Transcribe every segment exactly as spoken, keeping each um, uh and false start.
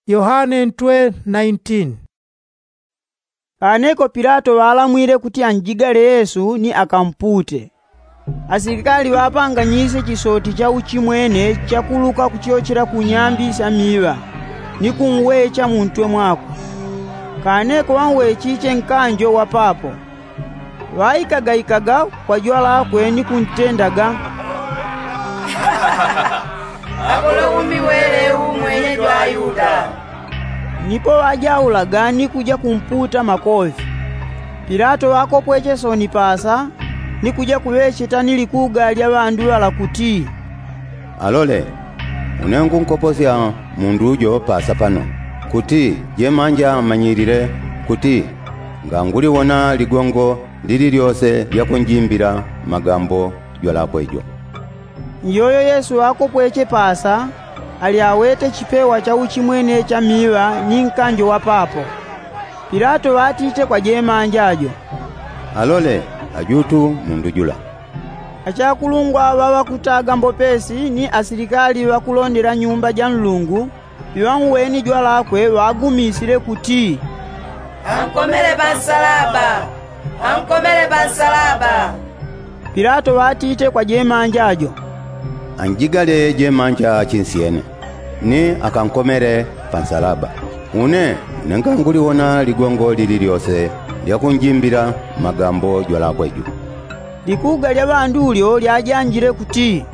Yohane ntwe nineteen. Kaneko pilato ŵalamwile kuti anjigale yesu ni akampute. Asilikali ŵapanganyisye chisoti cha uchimwene chakuluka kuchiochela kunyambi sya miŵa, ni kunwecha muntwe mwakwe. Kaneko ŵanwechiche nkanjo wa papo, ŵaikagaikaga kwa jwalakwe ni kuntendaga, akole umi wele umwenye jwa ayuda. Nipo ŵajaulaga ni kuja kumputa makofi. Pilato ŵakopweche soni pasa, ni kuja kuŵecheta ni likuga lya ŵandu ŵala kuti, alole, une ngunkoposya mundu ujo pasa pano, kuti jemanja amanyilile kuti nganguliwona ligongo lililyose lya kunjimbila magambo jwalakwe jo. Iyoyo yesu ŵakopweche pasa, ali awete chipewa cha uchimwene cha miŵa ni nkanjo wa papo. Pilato ŵatite kwa jemanja jo, alole, ajutu mundu jula. Achakulungwa ŵaŵakutaga mbopesi ni asilikali ŵakulondela nyumba ja nlungu, piŵanweni jwalakwe ŵagumisile kuti, ankomele pansalaba. Ankomele pansalaba. Pilato ŵatite kwa jemanja jo, anjigale jemanja chinsyene, ni akankomele pansalaba. Une, une nganguliwona ligongo lililyose lya kunjimbila magambo jwalakwe jo. Likuga lya ŵandu lyo lyajanjile kuti,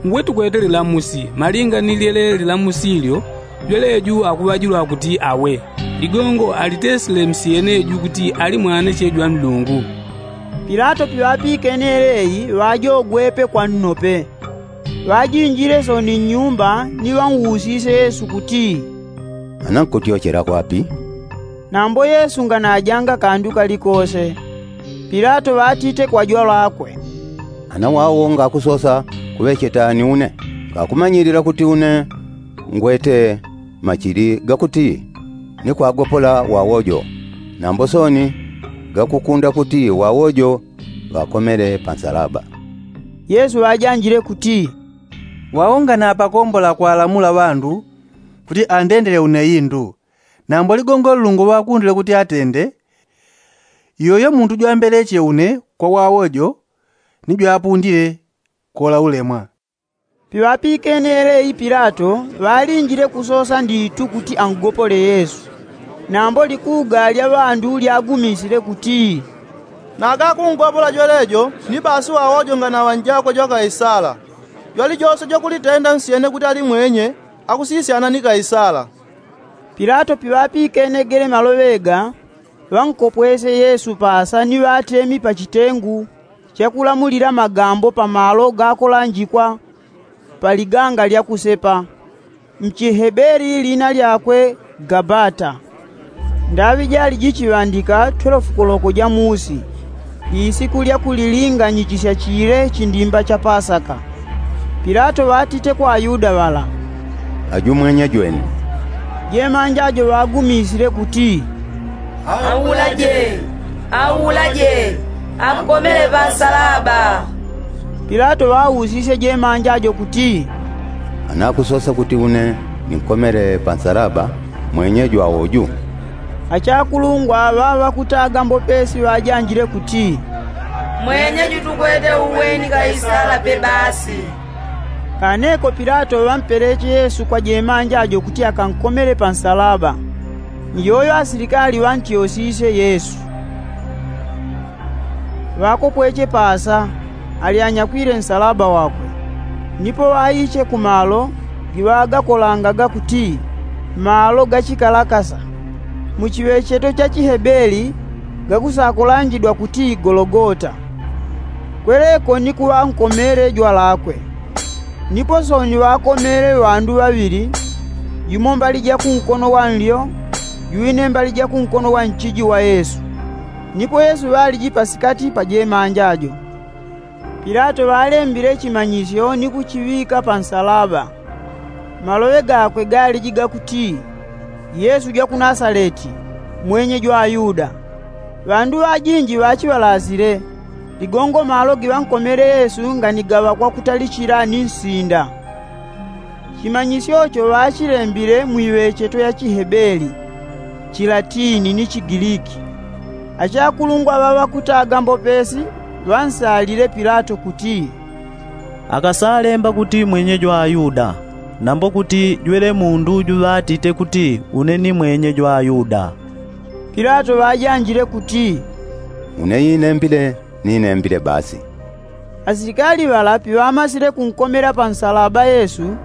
ngwe tukwete lilamusi malinga ni lyele lilamusi lyo, jwele ju akuŵajilwa kuti awe. Ligongo alitesile msyene ju kuti ali mwaneche jwa nlungu. Pilato piŵapikene eleyi ŵajogwepe kwa nnope. Ŵajinjile soni nnyumba ni ŵanwusisye yesu kuti, ana nkutyochela kwapi? Nambo yesu nganajanga kandu kalikose. Pilato ŵatite kwa jwalakwe, ana wawo ngakusosa kuŵecheta ni une, ngakumanyilila kuti une ngwete machili gakuti ni kwagopola wawo jo. Nambo soni gakukunda kuti wawo jo ŵakomele pansalaba. Yesu ŵajanjile kuti, wawo nganapakombola kwalamula ŵandu kuti andendele une indu. Nambo ligongo nlungu ŵakundile kuti atende, iyoyo mundu jwambeleche une kwa wawo jo ni jwapundile kola ulemwa. Piŵapikene eleyi pilato ŵalinjile kusosa nditu kuti angopole yesu. Nambo likuga lya ŵandu lyagumisile kuti, nagakungopola jwelejo ni basi wawo jo nganaŵa njako jwa kaisala. Jwalijose jwakulitenda nsyene kuti ali mwenye akusisyana ni kaisala. Pilato piŵapikene gele maloŵe ga, ŵankopwesye yesu pasa ni ŵatemi pa chitengu chakulamulila magambo pa malo gakolanjikwa pa liganga lya kusepa. Mchihebeli lina lyakwe gabata. Ndaŵi jali jichiŵandika twelefu koloko ja musi, isiku lya kulilinganyichisya chile chindimba cha pasaka. Pilato ŵatite kwa ayuda ŵala, ajumwenye jwene. Jemanja jo ŵagumisile kuti, aulaje, aulaje, ankomele pansalaba. Pilato ŵausisye jemanja jo kuti, anakusosa kuti une ninkomele pansalaba mwenye jwawo ju? Achakulungwa ŵaŵa ŵakutaga mbopesi ŵajanjile kuti, mwenye ju tukwete uweni kaisala pe basi. Kaneko pilato ŵampeleche yesu kwa jemanja jo kuti akankomele pansalaba. Ni yoyo asilikali ŵantyosisye yesu. Ŵakopweche pasa, ali anyakwile nsalaba wakwe. Nipo ŵaiche ku malo giŵagakolangaga kuti, malo ga chikalakasa. Mu chiŵecheto cha chihebeli gakusakolanjidwa kuti gologota. Kweleko ni kuŵankomele jwalakwe. Nipo sooni ŵakomele ŵandu ŵaŵili, yumo mbali ja kunkono wa nlyo, jwine mbali ja kunkono wa nchiji wa yesu. Nipo yesu ŵaliji pasikati pa jemanja jo. Pilato ŵalembile chimanyisyo ni kuchiŵika pansalaba. Maloŵe gakwe galiji gakuti, yesu jwa ku nasaleti, mwenye jwa ayuda. Ŵandu ŵajinji ŵachiŵalasile. Ligongo malo giŵankomele yesu nganigaŵa kwakutalichila ni nsinda. Chimanyisyo cho ŵachilembile mwiŵecheto ya chihebeli, chilatini ni chigiliki. Achakulungwa ŵa ŵakutaga mbopesi ŵansalile pilato kuti, akasalemba kuti mwenye jwa ayuda, nambo kuti jwele mundu juŵatite kuti une ni mwenye jwa ayuda. Pilato ŵajanjile kuti, une inembile, ni inembile basi. Asilikali ŵala piŵamasile kunkomela pa nsalaba yesu,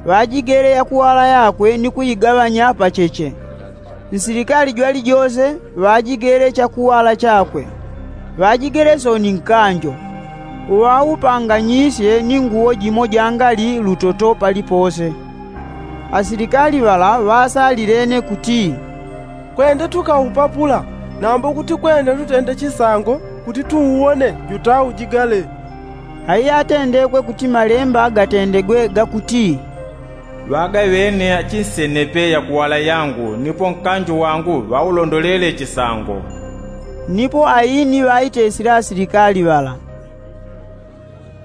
ŵajigele yakuwala yakwe ni kuigaŵanya pacheche. Nsilikali jwalijose ŵajigele chakuwala chakwe, ŵajigele soni nkanjo, uŵaupanganyisye ni nguwo jimo jangali lutoto palipose. Asilikali ŵala ŵasalilene kuti, kwende tukaupapula, nambo kuti kwende tutende chisango kuti tuuwone jutaujigale. Aiyatendekwe kuti malemba gatendegwe gakuti, ŵagaŵene achinsenepe yakuwala yangu nipo nkanjo wangu ŵaulondolele chisango. Nipo aini ŵaitesile asilikali ŵala.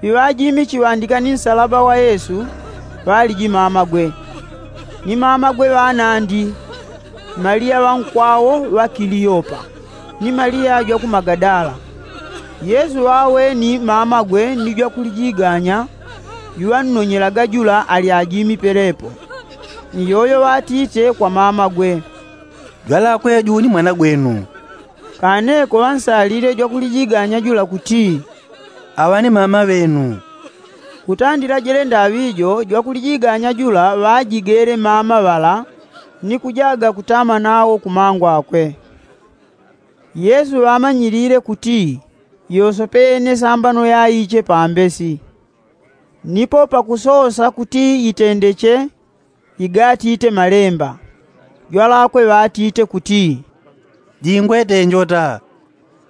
Piŵajimi chiŵandika ni nsalaba wa yesu, ŵaliji mamagwe, ni mamagwe ŵanandi, maliya ŵankwawo ŵa kiliyopa, ni maliya jwa ku magadala. Yesu ŵaweni mamagwe ni jwakulijiganya, juŵannonyelaga jula ali ajimi pelepo. Ni yoyo ŵatite kwa mamagwe, jwalakwe juu ni mwana gwenu. Kaneko ŵansalile jwakulijiganya jula kuti, aŵa ni mama ŵenu. Kutandila jele ndaŵi jo jwakulijiganya jula ŵajigele mama ŵala, ni kujaga kutama nawo kumangwakwe. Yesu ŵamanyilile kuti yosopene sambano yaiche pambesi. Nipo pakusosa kuti yitendeche, igatite malemba, jwalakwe ŵatite kuti, jingwete njota.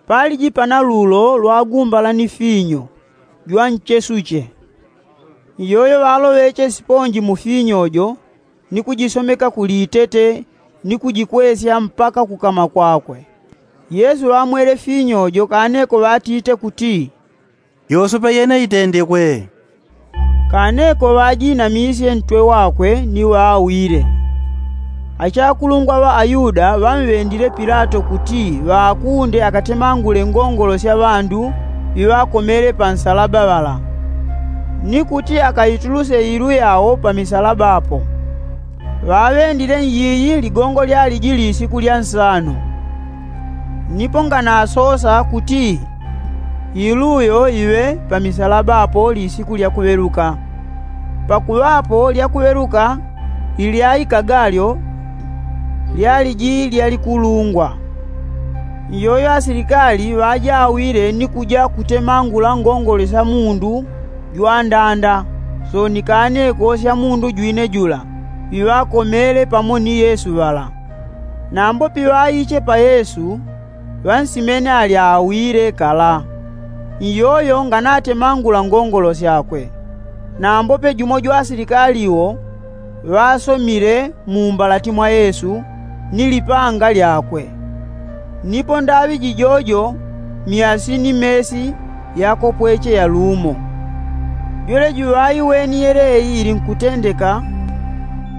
Paliji pana lulo lwa gumbala ni finyo jwa nchesuche. Iyoyo ŵaloŵeche siponji mu finyo jo, ni kujisomeka ku litete, ni kujikwesya mpaka kukama kwakwe. Yesu ŵamwele finyo jo kaneko ŵatite kuti, yosope yene itendekwe. Kaneko ŵajinamisye ntwe wakwe ni ŵaawile. Achakulungwa ŵa ayuda ŵamŵendile pilato kuti ŵaakunde akatemangule ngongolo sya ŵandu ŵiŵakomele pa nsalaba ŵala, ni kuti akaituluse iilu yao pa misalaba apo. Ŵaŵendile nyiyi ligongo lyaliji lisiku lya nsano. Nipo nganasosa kuti iilu yo iŵe pa misalaba apo lisiku lya kuŵeluka. Pakuŵa apo lya kuŵeluka ilyaikaga lyo lyaliji lyalikulungwa. Iyoyo asilikali ŵajawile ni kuja kutemangula ngongole sya mundu jwandanda, soni kaneko sya mundu jwine jula, ŵiŵakomele pamo ni yesu ŵala. Nambo piŵaiche pa yesu, ŵansimene ali aawile kala. Iyoyo nganatemangula ngongolo syakwe. Nambope jumo jwa asilikali wo ŵasomile mu mbalati mwa yesu, ni lipanga lyakwe. Nipo ndaŵi jijojo myasi ni mesi yakopweche yalumo. Jwele juŵaiweni yeleyi ili nkutendeka,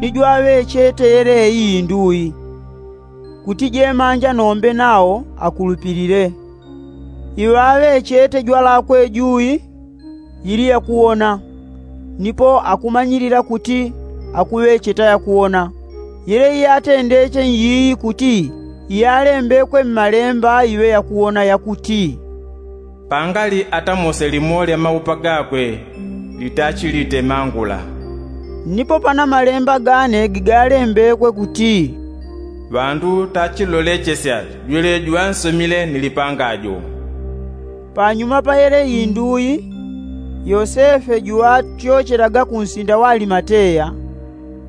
ni jwaŵechete yeleyi indui, kuti jemanja nombe nao akulupilile. Iŵaŵechete jwalakwe jui yili yakuwona, nipo akumanyilila kuti akuŵecheta yakuwona. Yele iyatendeche nyiyi kuti iyalembekwe mmalemba iŵe yakuwona yakuti, pangali atamose limo lya maupa gakwe litachilitemangula. Nipo pana malemba gane gigalembekwe kuti, ŵandu tachilolechesya jwele juŵansomile ni lipanga jo. Panyuma pa yele indui, yosefe juŵatyochelaga ku nsinda wa alimateya,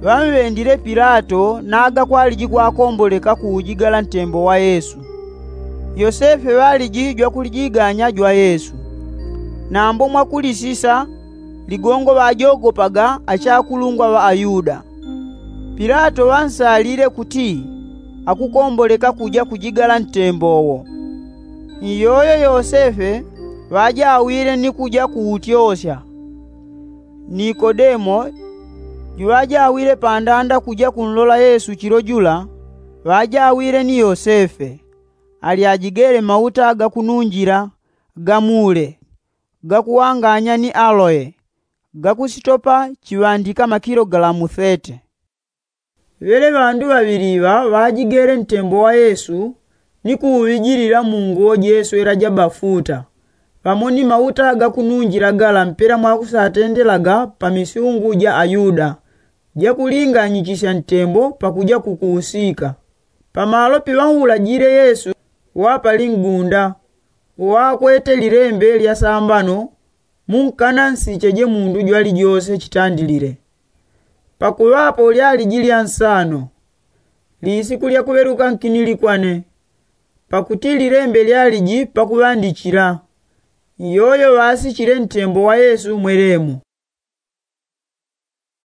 ŵamŵendile pilato naga kwaliji kwakomboleka kuujigala ntembo wa yesu. Yosefe ŵaliji jwakulijiganya jwa yesu. Nambo mwakulisisa ligongo ŵajogopaga achakulungwa ŵa ayuda. Pilato ŵansalile kuti akukomboleka kuja kujigala ntembo wo. Iyoyo yosefe ŵajawile ni kuja kuutyosya. Nikodemo, Juŵajawile pandanda kuja kunlola yesu chilo jula, ŵajawile ni yosefe, alyajigele mauta gakununjila, gamule, gakuwanganya ni aloye, gakusitopa chiŵandika makilogalamu thete. Ŵele ŵandu ŵaŵili iŵa ŵajigele ntembo wa yesu, ni kuuŵijilila mu nguwo jeswela ja bafuta, pamo ni mauta gakununjila gala mpela mwakusatendelaga pa misyungu ja ayuda, jakulinganyichisya ntembo pakuja kukuusika. Pamalo piŵaulajile yesu, wa pali ngunda, uwakwete lilembe lya sambano, munkana nsicheje mundu jwalijose chitandilile. Pakuŵapo lyaliji lya nsano, lisiku lya kuŵeluka nkinilikwane, pakuti lilembe lyaliji pakuŵandichila. Iyoyo ŵasichile ntembo wa yesu mwelemo.